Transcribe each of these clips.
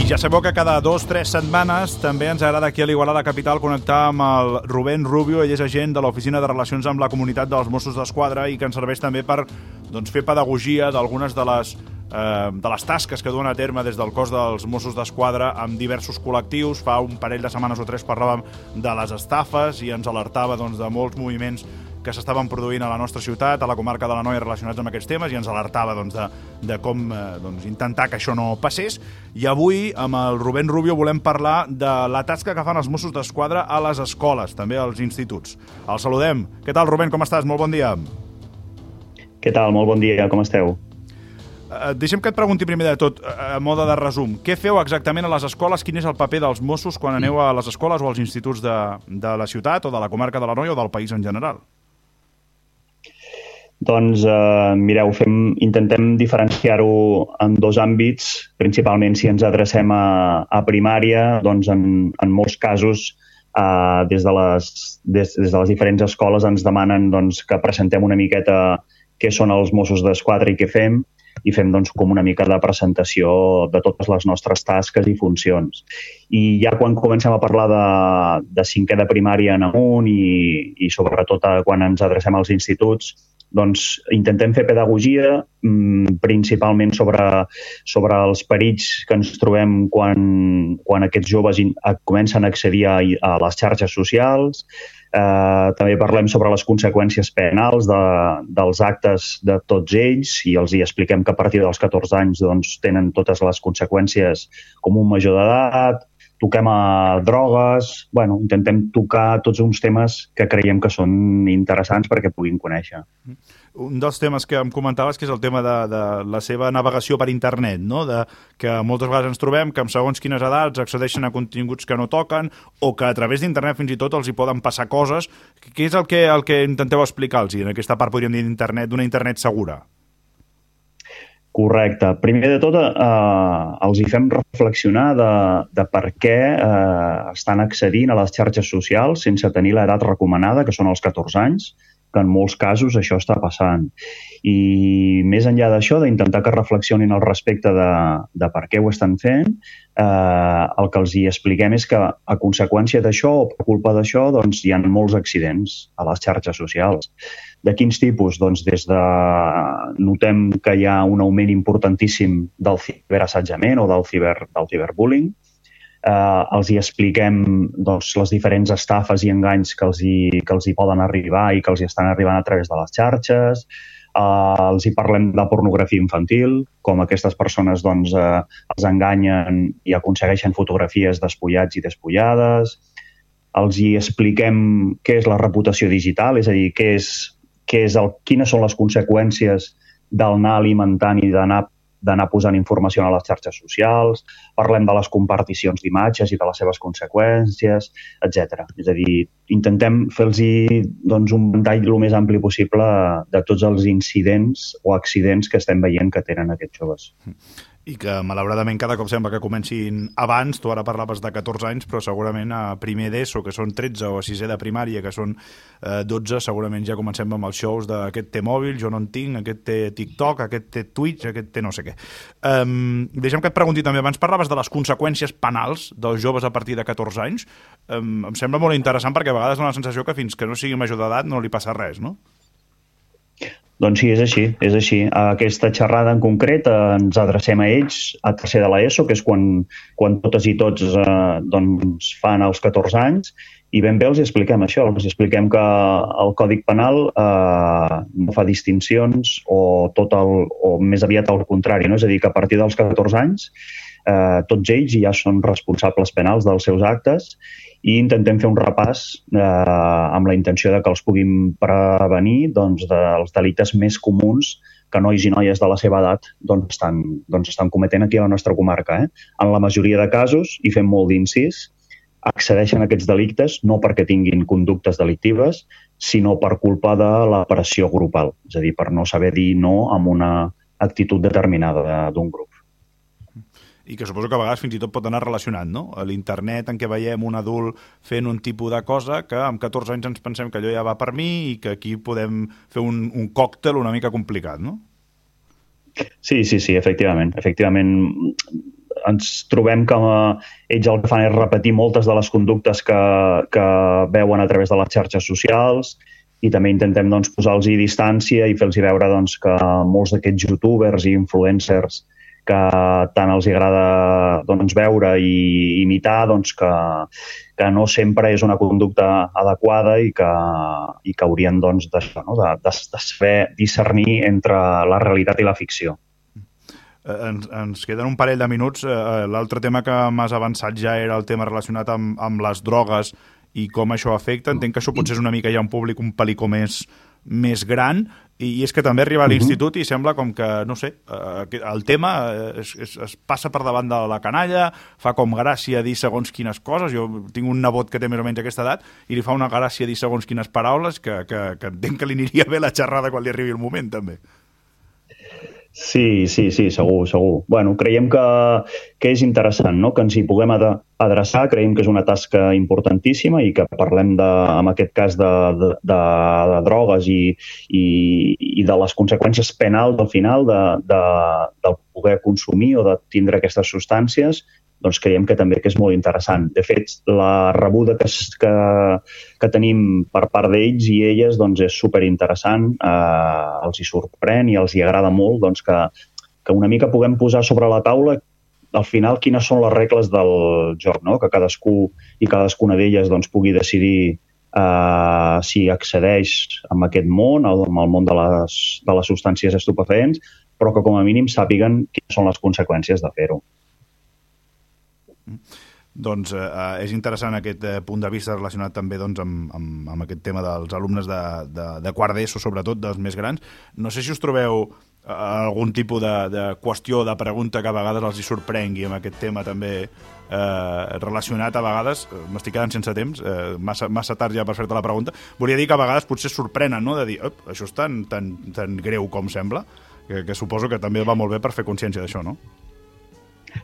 Ja sabeu que cada 2 o 3 setmanes també ens agrada aquí a l'Igualada Capital connectar amb el Rubén Rubio. Ell és agent de l'Oficina de Relacions amb la Comunitat dels Mossos d'Esquadra i que ens serveix també per fer pedagogia d'algunes de les tasques que duen a terme des del cos dels Mossos d'Esquadra amb diversos col·lectius. Fa un parell de setmanes o 3 parlàvem de les estafes i ens alertava de molts moviments que s'estaven produint a la nostra ciutat, a la comarca de l'Anoia, relacionats amb aquests temes, i ens alertava de com intentar que això no passés. I avui, amb el Rubén Rubio, volem parlar de la tasca que fan els Mossos d'Esquadra a les escoles, també als instituts. El saludem. Què tal, Rubén? Com estàs? Molt bon dia. Què tal? Molt bon dia. Com esteu? Deixem que et pregunti primer de tot, a mode de resum. Què feu exactament a les escoles? Quin és el paper dels Mossos quan aneu a les escoles o als instituts de la ciutat o de la comarca de l'Anoia o del país en general? Doncs, mireu, intentem diferenciar-ho en 2 àmbits. Principalment, si ens adrecem a primària, doncs en molts casos, des de les diferents escoles ens demanen que presentem una miqueta què són els Mossos d'Esquadra i què fem, i fem com una mica de presentació de totes les nostres tasques i funcions. I ja quan comencem a parlar de 5è de primària en amunt i sobretot quan ens adrecem als instituts, doncs intentem fer pedagogia principalment sobre els perills que ens trobem quan aquests joves comencen a accedir a les xarxes socials. També parlem sobre les conseqüències penals dels actes de tots ells i els hi expliquem que a partir dels 14 anys tenen totes les conseqüències com un major d'edat. Toquem a drogues. Intentem tocar tots uns temes que creiem que són interessants perquè puguin conèixer. Un dels temes que em comentaves que és el tema de la seva navegació per internet, no? Que moltes vegades ens trobem que amb segons quines edats accedeixen a continguts que no toquen o que a través d'internet fins i tot els hi poden passar coses. Què és el que intenteu explicar-los en aquesta part, podríem dir, d'internet, d'una internet segura? Correcte. Primer de tot, els hi fem reflexionar de per què estan accedint a les xarxes socials sense tenir l'edat recomanada, que són els 14 anys, que en molts casos això està passant. I més enllà d'això, d'intentar que reflexionin al respecte de per què ho estan fent, el que els hi expliquem és que a conseqüència d'això o per culpa d'això hi ha molts accidents a les xarxes socials. De quins tipus? Notem que hi ha un augment importantíssim del ciberassetjament o del ciberbullying. Els hi expliquem les diferents estafes i enganys que els hi poden arribar i que els hi estan arribant a través de les xarxes. Els hi parlem de pornografia infantil, com aquestes persones els enganyen i aconsegueixen fotografies despullats i despullades. Els hi expliquem què és la reputació digital, és a dir, quines són les conseqüències d'anar alimentant i d'anar posant informació a les xarxes socials. Parlem de les comparticions d'imatges i de les seves conseqüències, etc. És a dir, intentem fer-los un ventall el més ampli possible de tots els incidents o accidents que estem veient que tenen aquests joves. I que, malauradament, cada cop sembla que comencin abans. Tu ara parlaves de 14 anys, però segurament a primer d'ESO, que són 13, o a 6è de primària, que són 12, segurament ja comencem amb els shows d'aquest té mòbil, jo no en tinc, aquest té TikTok, aquest té Twitch, aquest té no sé què. Deixa'm que et pregunti també, abans parlaves de les conseqüències penals dels joves a partir de 14 anys. Em sembla molt interessant perquè a vegades dona la sensació que fins que no sigui major d'edat no li passa res, no? Doncs sí, és així. A aquesta xerrada en concret ens adrecem a ells a 3è de l'ESO, que és quan totes i tots fan els 14 anys, i ben bé els expliquem això. Els expliquem que el Codi Penal no fa distincions o més aviat al contrari, no? És a dir, que a partir dels 14 anys tots ells ja són responsables penals dels seus actes i intentem fer un repàs amb la intenció de que els puguin prevenir dels delictes més comuns que nois i noies de la seva edat estan cometent aquí a la nostra comarca. En la majoria de casos, i fem molt d'incís, accedeixen a aquests delictes no perquè tinguin conductes delictives, sinó per culpa de la pressió grupal, és a dir, per no saber dir no amb una actitud determinada d'un grup. I que suposo que a vegades fins i tot pot anar relacionat, no? A l'internet en què veiem un adult fent un tipus de cosa que amb 14 anys ens pensem que allò ja va per mi i que aquí podem fer un còctel una mica complicat, no? Sí, efectivament. ens trobem que ells el que fan és repetir moltes de les conductes que veuen a través de les xarxes socials, i també intentem doncs, posar-los distància i fer-los veure doncs, que molts d'aquests youtubers i influencers que tant els agrada doncs, veure i imitar, doncs, que no sempre és una conducta adequada i que haurien doncs, de saber discernir entre la realitat i la ficció. Ens queden un parell de minuts. L'altre tema que m'has avançat ja era el tema relacionat amb les drogues i com això afecta. Entenc que això potser és una mica ja un públic un pel·lícul més gran, i és que també arriba a l'institut i sembla com que, no sé, el tema es passa per davant de la canalla, fa com gràcia dir segons quines coses. Jo tinc un nebot que té més o menys aquesta edat i li fa una gràcia dir segons quines paraules que entenc que li aniria bé la xerrada quan li arribi el moment, també. Sí, segur. Bueno, creiem que és interessant, no?, que ens hi puguem adreçar. Creiem que és una tasca importantíssima i que parlem, en aquest cas, de drogues i de les conseqüències penals al final del poder consumir o de tindre aquestes substàncies. Doncs creiem que també que és molt interessant. De fet, la rebuda que tenim per part d'ells i elles doncs és superinteressant, els hi sorprèn i els hi agrada molt doncs, que una mica puguem posar sobre la taula al final quines són les regles del joc, no? Que cadascú i cadascuna d'elles doncs, pugui decidir si accedeix a aquest món, al món de les substàncies estupefaents, però que com a mínim sàpiguen quines són les conseqüències de fer-ho. Doncs és interessant aquest punt de vista relacionat també doncs, amb aquest tema dels alumnes de quart d'ESO, sobretot dels més grans. No sé si us trobeu algun tipus de qüestió, de pregunta que a vegades els hi sorprengui amb aquest tema també relacionat a vegades. M'estic quedant sense temps, massa tard ja per fer-te la pregunta. Volia dir que a vegades potser sorprenen, no?, de dir, això és tan greu com sembla, que suposo que també va molt bé per fer consciència d'això, no?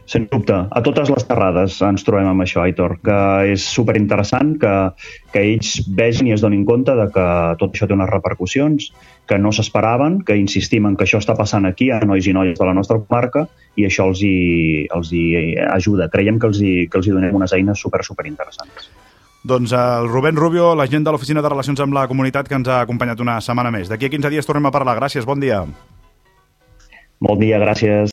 Sens dubte. A totes les xerrades ens trobem amb això, Aitor, que és superinteressant que ells vegin i es donin compte de que tot això té unes repercussions que no s'esperaven, que insistim en que això està passant aquí a nois i noies de la nostra comarca i això els hi ajuda. Creiem que els hi donem unes eines superinteressants. Doncs el Rubén Rubio, l'agent de l'Oficina de Relacions amb la Comunitat, que ens ha acompanyat una setmana més. D'aquí a 15 dies tornem a parlar. Gràcies, bon dia. Bon dia, gràcies.